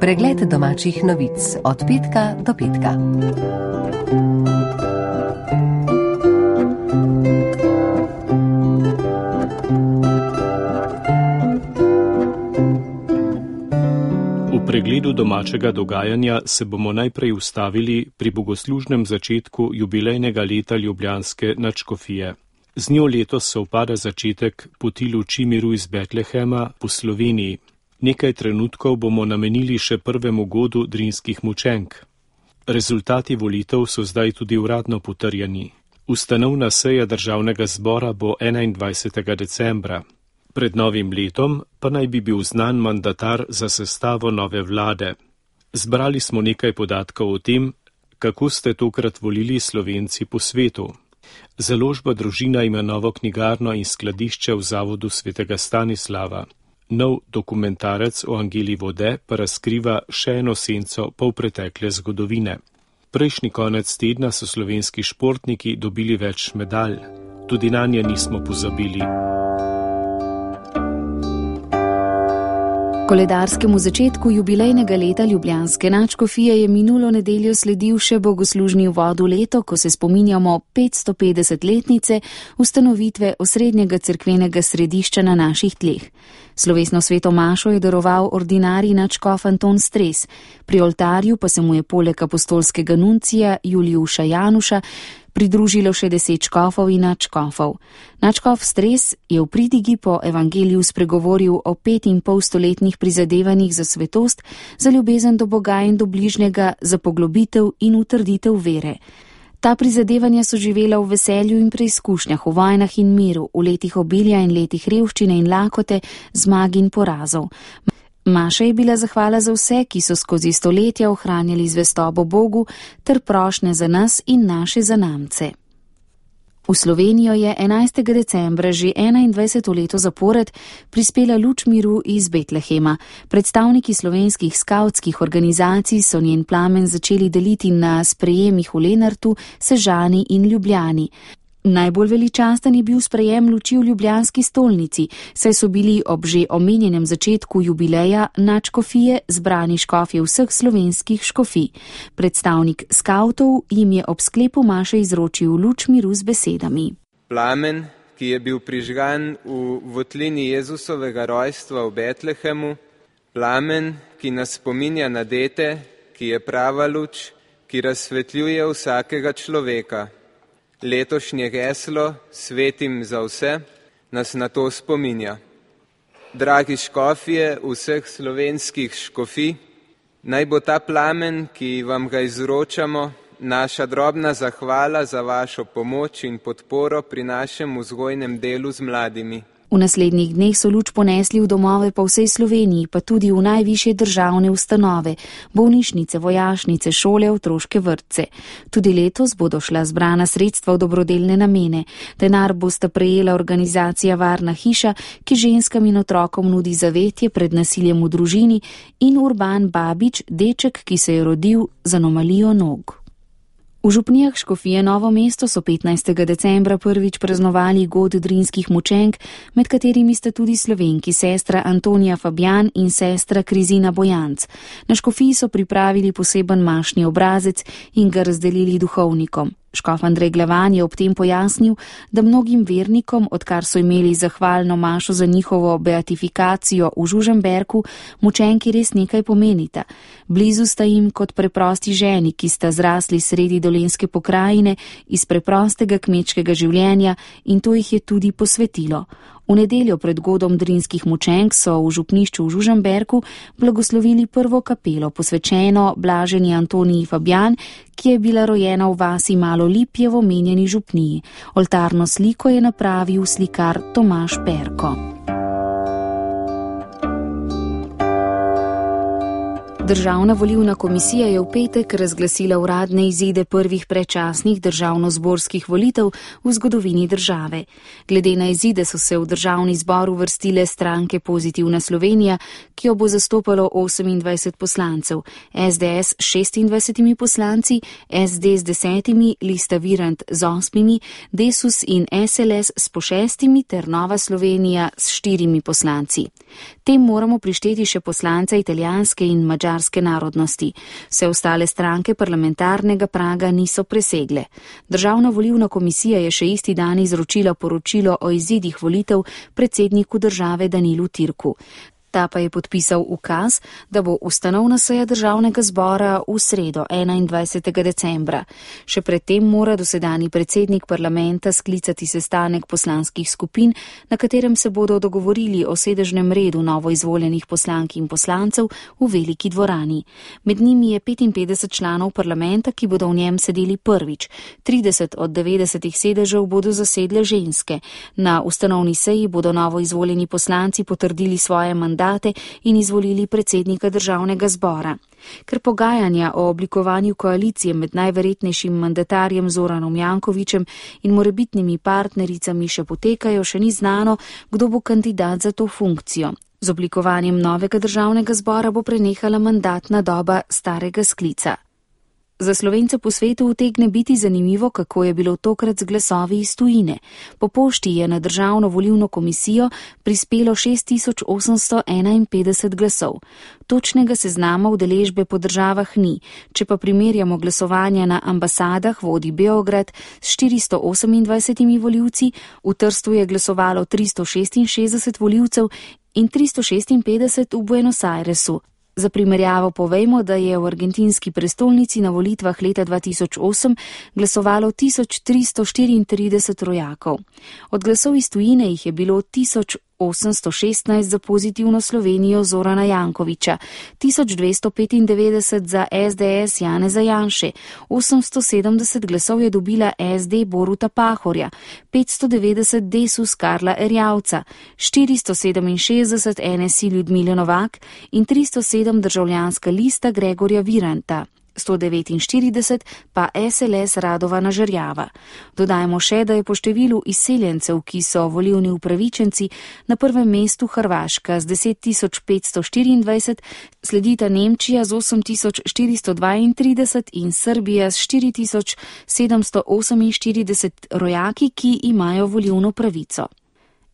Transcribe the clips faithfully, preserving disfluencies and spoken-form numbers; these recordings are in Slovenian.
Pregled domačih novic od petka do petka. V pregledu domačega dogajanja se bomo najprej ustavili pri bogoslužnem začetku jubilejnega leta ljubljanske nadškofije. Z njo letos se upada začetek poti luči miru iz Betlehema po Sloveniji. Nekaj trenutkov bomo namenili še prvemu godu drinskih mučenk. Rezultati volitev so zdaj tudi uradno potrjeni. Ustanovna seja državnega zbora bo enaindvajsetega decembra. Pred novim letom pa naj bi bil znan mandatar za sestavo nove vlade. Zbrali smo nekaj podatkov o tem, kako ste tokrat volili Slovenci po svetu. Založba Družina ima novo knjigarno in skladišče v zavodu svetega Stanislava. Nov dokumentarec o Angeli vode pa razkriva še eno senco polpretekle zgodovine. Prejšnji konec tedna so slovenski športniki dobili več medalj. Tudi nanje nismo pozabili. Koledarskemu začetku jubilejnega leta ljubljanske nadškofije je minulo nedeljo sledil še bogoslužni uvod v leto, ko se spominjamo petstopetdesetletnice ustanovitve osrednjega cerkvenega središča na naših tleh. Slovesno sveto mašo je daroval ordinarij nadškof Anton Stres, pri oltarju pa se mu je poleg apostolskega nuncija Julijuša Januša pridružilo še deset škofov in nadškofov. Nadškof Stres je v pridigi po evangeliju spregovoril o pet in pol stoletnih prizadevanjih za svetost, za ljubezen do Boga in do bližnjega, za poglobitev in utrditev vere. Ta prizadevanja so živela v veselju in preizkušnjah, v vojnah in miru, v letih obilja in letih revščine in lakote, zmag in porazov. Maša je bila zahvala za vse, ki so skozi stoletja ohranjali zvestobo Bogu, ter prošnje za nas in naše zanamce. V Slovenijo je enajstega decembra že enaindvajseto leto zapored prispela luč miru iz Betlehema. Predstavniki slovenskih skavtskih organizacij so njen plamen začeli deliti na sprejemih v Lenartu, Sežani in Ljubljani. Najbolj veličasten je bil sprejem luči v ljubljanski stolnici, saj so bili ob že omenjenem začetku jubileja nadškofije zbrani škofje vseh slovenskih škofij. Predstavnik skavtov jim je ob sklepu maše izročil luč miru z besedami. Plamen, ki je bil prižgan v votlini Jezusovega rojstva v Betlehemu, plamen, ki nas spominja na dete, ki je prava luč, ki razsvetljuje vsakega človeka. Letošnje geslo Svetim za vse nas na to spominja. Dragi škofje vseh slovenskih škofij, naj bo ta plamen, ki vam ga izročamo, naša drobna zahvala za vašo pomoč in podporo pri našem vzgojnem delu z mladimi. V naslednjih dneh so luč ponesli v domove po vsej Sloveniji, pa tudi v najvišje državne ustanove, bolnišnice, vojašnice, šole, otroške vrtce. Tudi letos bodo šla zbrana sredstva v dobrodelne namene. Denar bosta prejela organizacija Varna hiša, ki ženskam in otrokom nudi zavetje pred nasiljem v družini, in Urban Babič, deček, ki se je rodil z anomalijo nog. V župnijah škofije Novo mesto so petnajstega decembra prvič praznovali god drinskih mučenk, med katerimi sta tudi Slovenki sestra Antonija Fabjan in sestra Krizina Bojanc. Na škofiji so pripravili poseben mašni obrazec in ga razdelili duhovnikom. Škof Andrej Glavan je ob tem pojasnil, da mnogim vernikom, odkar so imeli zahvalno mašo za njihovo beatifikacijo v Žužemberku, mučenki res nekaj pomenita. Blizu sta jim kot preprosti ženi, ki sta zrasli sredi dolenjske pokrajine iz preprostega kmečkega življenja, in to jih je tudi posvetilo. V nedeljo pred godom drinskih mučenk so v župnišču v Žužemberku blagoslovili prvo kapelo, posvečeno blaženi Antoniji Fabjan, ki je bila rojena v vasi Malo Lipje v omenjeni župniji. Oltarno sliko je napravil slikar Tomaž Perko. Državna volilna komisija je v petek razglasila uradne izide prvih predčasnih državnozborskih volitev v zgodovini države. Glede na izide so se v državni zbor uvrstile stranke Pozitivna Slovenija, ki jo bo zastopalo osemindvajset poslancev, es de es s šestindvajsetimi poslanci, es de s desetimi, Lista Virant z osmimi, Desus in es el es s po šestimi ter Nova Slovenija s štirimi poslanci. Tem moramo prišteti še poslance italijanske in madžarske narodnosti. Vse ostale stranke parlamentarnega praga niso presegle. Državna volilna komisija je še isti dan izročila poročilo o izidih volitev predsedniku države Danilu Türku. Ta pa je podpisal ukaz, da bo ustanovna seja državnega zbora v sredo enaindvajsetega decembra. Še predtem mora dosedanji predsednik parlamenta sklicati sestanek poslanskih skupin, na katerem se bodo dogovorili o sedežnem redu novoizvoljenih poslank in poslancev v veliki dvorani. Med njimi je petinpetdeset članov parlamenta, ki bodo v njem sedeli prvič. trideset od devetdesetih sedežev bodo zasedle ženske. Na ustanovni seji bodo novoizvoljeni poslanci potrdili svoje mandate in izvolili predsednika državnega zbora. Ker pogajanja o oblikovanju koalicije med najverjetnejšim mandatarjem Zoranom Jankovićem in morebitnimi partnericami še potekajo, še ni znano, kdo bo kandidat za to funkcijo. Z oblikovanjem novega državnega zbora bo prenehala mandatna doba starega sklica. Za Slovence po svetu utegne biti zanimivo, kako je bilo tokrat z glasovi iz tujine. Po pošti je na državno volilno komisijo prispelo šest tisoč osemsto enainpetdeset glasov. Točnega seznama udeležbe po državah ni. Če pa primerjamo glasovanja na ambasadah, vodi Beograd s štiristo osemindvajsetimi volivci, v Trstu je glasovalo tristo šestinšestdeset volivcev in tristo šestinpetdeset v Buenos Airesu. Za primerjavo povejmo, da je v argentinski prestolnici na volitvah leta dva tisoč osem glasovalo tisoč tristo štiriintrideset rojakov. Od glasov iz tujine jih je bilo tisoč osemsto šestnajst za pozitivno Slovenijo Zorana Jankovića, tisoč dvesto petindevetdeset za es de es Janeza Janše, osemsto sedemdeset glasov je dobila es de Boruta Pahorja, petsto devetdeset Desus Karla Erjavca, štiristo sedeminšestdeset en es i Ljudmile Novak in tristo sedem državljanska lista Gregorja Viranta. sto devetinštirideset pa es el es Radovana Žerjava. Dodajmo še, da je po številu izseljencev, ki so volilni upravičenci, na prvem mestu Hrvaška z deset tisoč petsto štiriindvajset, sledita Nemčija z osem tisoč štiristo dvaintrideset in Srbija s štiri tisoč sedemsto oseminštirideset rojaki, ki imajo volilno pravico.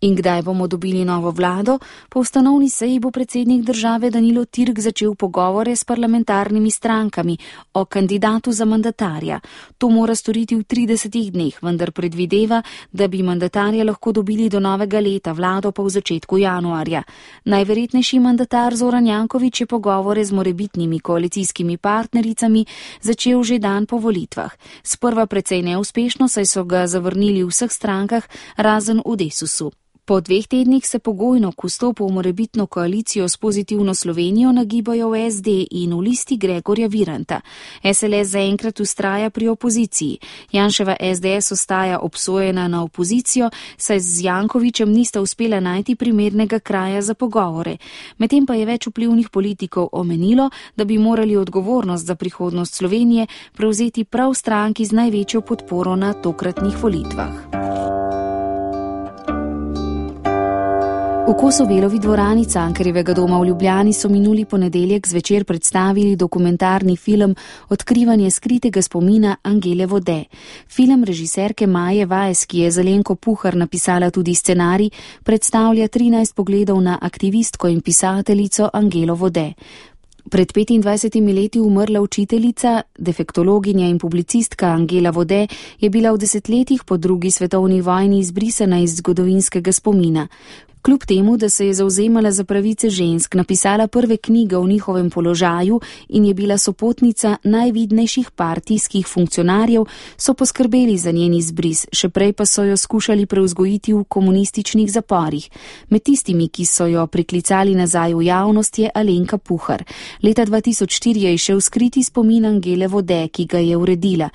In kdaj bomo dobili novo vlado? Po ustanovni seji bo predsednik države Danilo Türk začel pogovore s parlamentarnimi strankami o kandidatu za mandatarja. To mora storiti v tridesetih dneh, vendar predvideva, da bi mandatarja lahko dobili do novega leta, vlado pa v začetku januarja. Najverjetnejši mandatar Zoran Janković je pogovore z morebitnimi koalicijskimi partnericami začel že dan po volitvah. Sprva precej neuspešno, saj so ga zavrnili v vseh strankah, razen v Desusu. Po dveh tednih se pogojno k vstopu v morebitno koalicijo s pozitivno Slovenijo nagibajo v es de in v listi Gregorja Viranta. es el es zaenkrat ustraja pri opoziciji. Janševa es de es ostaja obsojena na opozicijo, saj z Jankovićem nista uspela najti primernega kraja za pogovore. Medtem pa je več vplivnih politikov omenilo, da bi morali odgovornost za prihodnost Slovenije prevzeti prav stranki z največjo podporo na tokratnih volitvah. V Kosovelovi dvorani Cankarjevega doma v Ljubljani so minuli ponedeljek zvečer predstavili dokumentarni film Odkrivanje skritega spomina Angele Vode. Film režiserke Maje Weiss, ki je za Lenko Puhar napisala tudi scenarij, predstavlja trinajst pogledov na aktivistko in pisateljico Angelo Vode. Pred petindvajsetimi leti umrla učiteljica, defektologinja in publicistka Angela Vode je bila v desetletjih po drugi svetovni vojni izbrisana iz zgodovinskega spomina. Kljub temu, da se je zavzemala za pravice žensk, napisala prve knjige o njihovem položaju in je bila sopotnica najvidnejših partijskih funkcionarjev, so poskrbeli za njen izbris, še prej pa so jo skušali prevzgojiti v komunističnih zaporih. Med tistimi, ki so jo priklicali nazaj v javnost, je Alenka Puhar. Leta dva tisoč štiri je izšel skriti spomin Angele Vode, ki ga je uredila.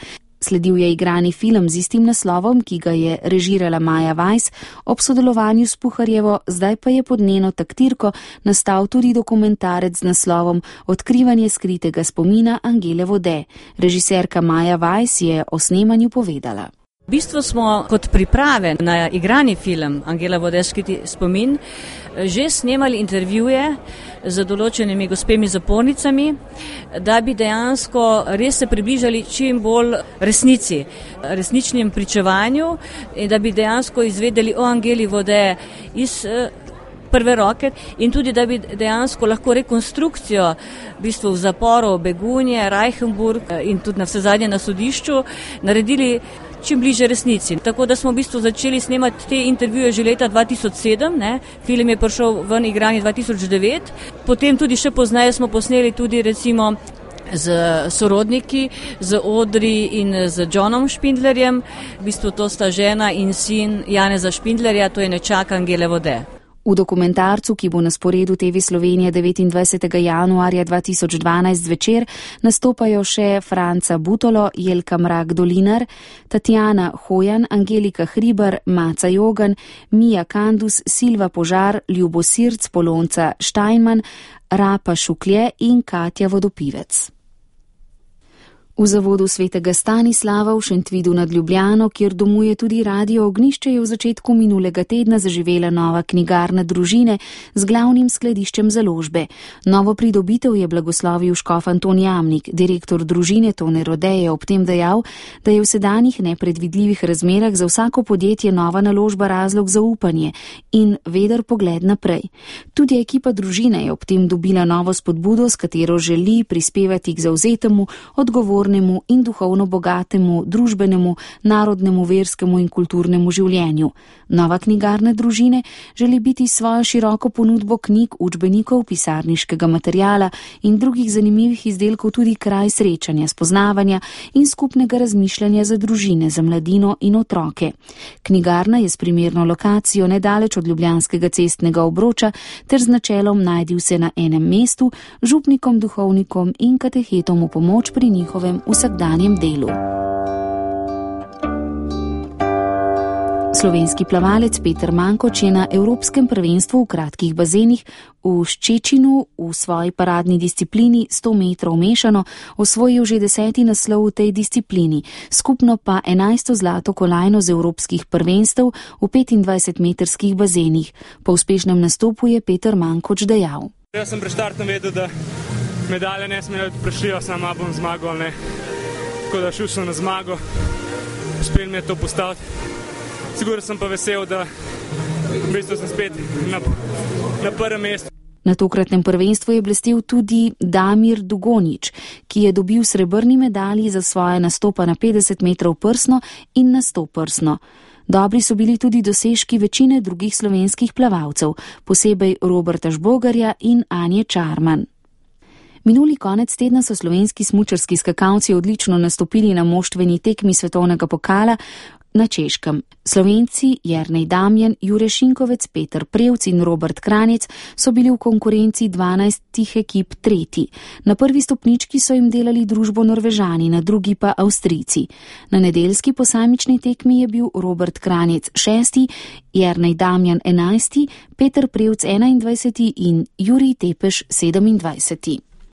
Sledil je igrani film z istim naslovom, ki ga je režirala Maja Weiss ob sodelovanju s Puharjevo, zdaj pa je pod njeno taktirko nastal tudi dokumentarec z naslovom Odkrivanje skritega spomina Angele Vode. Režiserka Maja Weiss je o snemanju povedala. V bistvu smo kot priprave na igrani film Angela Vode skriti spomin že snemali intervjuje z določenimi gospemi zapornicami, da bi dejansko res se približali čim bolj resnici, resničnim pričevanju in da bi dejansko izvedeli o Angeli Vode iz prve roke in tudi, da bi dejansko lahko rekonstrukcijo v bistvu v zaporu Begunje, Reichenburg in tudi na vse zadnje na sodišču naredili čim bliže resnici. Tako da smo v bistvu začeli snemati te intervjuje že leta dva tisoč sedem, ne. Film je prišel ven igranje dva tisoč devet, potem tudi še pozneje smo posneli tudi recimo z sorodniki, z Audrey in z Johnom Špindlerjem. V bistvu to sta žena in sin Janeza Špindlerja, to je nečak Angele Vode. V dokumentarcu, ki bo na sporedu T V Slovenije devetindvajsetega januarja dva tisoč dvanajst zvečer, nastopajo še Franca Butolo, Jelka Mrak-Dolinar, Tatjana Hojan, Angelika Hribar, Maca Jogan, Mija Kandus, Silva Požar, Ljubo Sirc, Polonca Štajnman, Rapa Šuklje in Katja Vodopivec. V zavodu svetega Stanislava v Šentvidu nad Ljubljano, kjer domuje tudi Radio Ognjišče, je v začetku minulega tedna zaživela nova knjigarna družine z glavnim skladiščem založbe. Novo pridobitev je blagoslovil škof Anton Jamnik. Direktor družine Tone Rode je ob tem dejal, da je v sedanjih nepredvidljivih razmerah za vsako podjetje nova naložba razlog za upanje in veder pogled naprej. Tudi ekipa družine je ob tem dobila novo spodbudo, s katero želi prispevati k zavzetemu, odgovornemu in duhovno bogatemu, družbenemu, narodnemu, verskemu in kulturnemu življenju. Nova knjigarna družine želi biti svojo široko ponudbo knjig, učbenikov, pisarniškega materijala in drugih zanimivih izdelkov tudi kraj srečanja, spoznavanja in skupnega razmišljanja za družine, za mladino in otroke. Knjigarna je s primerno lokacijo nedaleč od ljubljanskega cestnega obroča ter z načelom najdi vse na enem mestu, župnikom, duhovnikom in katehetom v pomoč pri njihovem vsakdanjem delu. Slovenski plavalec Peter Mankoč je na Evropskem prvenstvu v kratkih bazenih v Ščečinu v svoji paradni disciplini sto metrov mešano osvojil že deseti naslov v tej disciplini, skupno pa enajsto zlato kolajno z evropskih prvenstev v petindvajsetmetrskih bazenih. Po uspešnem nastopu je Peter Mankoč dejal: Jaz sem pred štartom vedel, da medalje ne smejo prešlijo, sama bom zmagal, ne. Tako da šel sem na zmago, uspel mi je to postaviti. Sigur sem pa vesel, da v bistvu sem spet na, na prvem mestu. Na tokratnem prvenstvu je blestel tudi Damir Dugonjić, ki je dobil srebrni medalji za svoje nastopa na petdeset metrov prsno in na sto prsno. Dobri so bili tudi dosežki večine drugih slovenskih plavalcev, posebej Roberta Žbogarja in Anje Čarman. Minuli konec tedna so slovenski smučarski skakalci odlično nastopili na moštveni tekmi svetovnega pokala na Češkem. Slovenci Jernej Damjan, Jure Šinkovec, Peter Prevc in Robert Kranjec so bili v konkurenci dvanajstih ekip tretji. Na prvi stopnički so jim delali družbo Norvežani, na drugi pa Avstrijci. Na nedeljski posamični tekmi je bil Robert Kranjec šesti, Jernej Damjan enajsti, Peter Prevc enaindvajseti in Jurij Tepeš sedemindvajseti.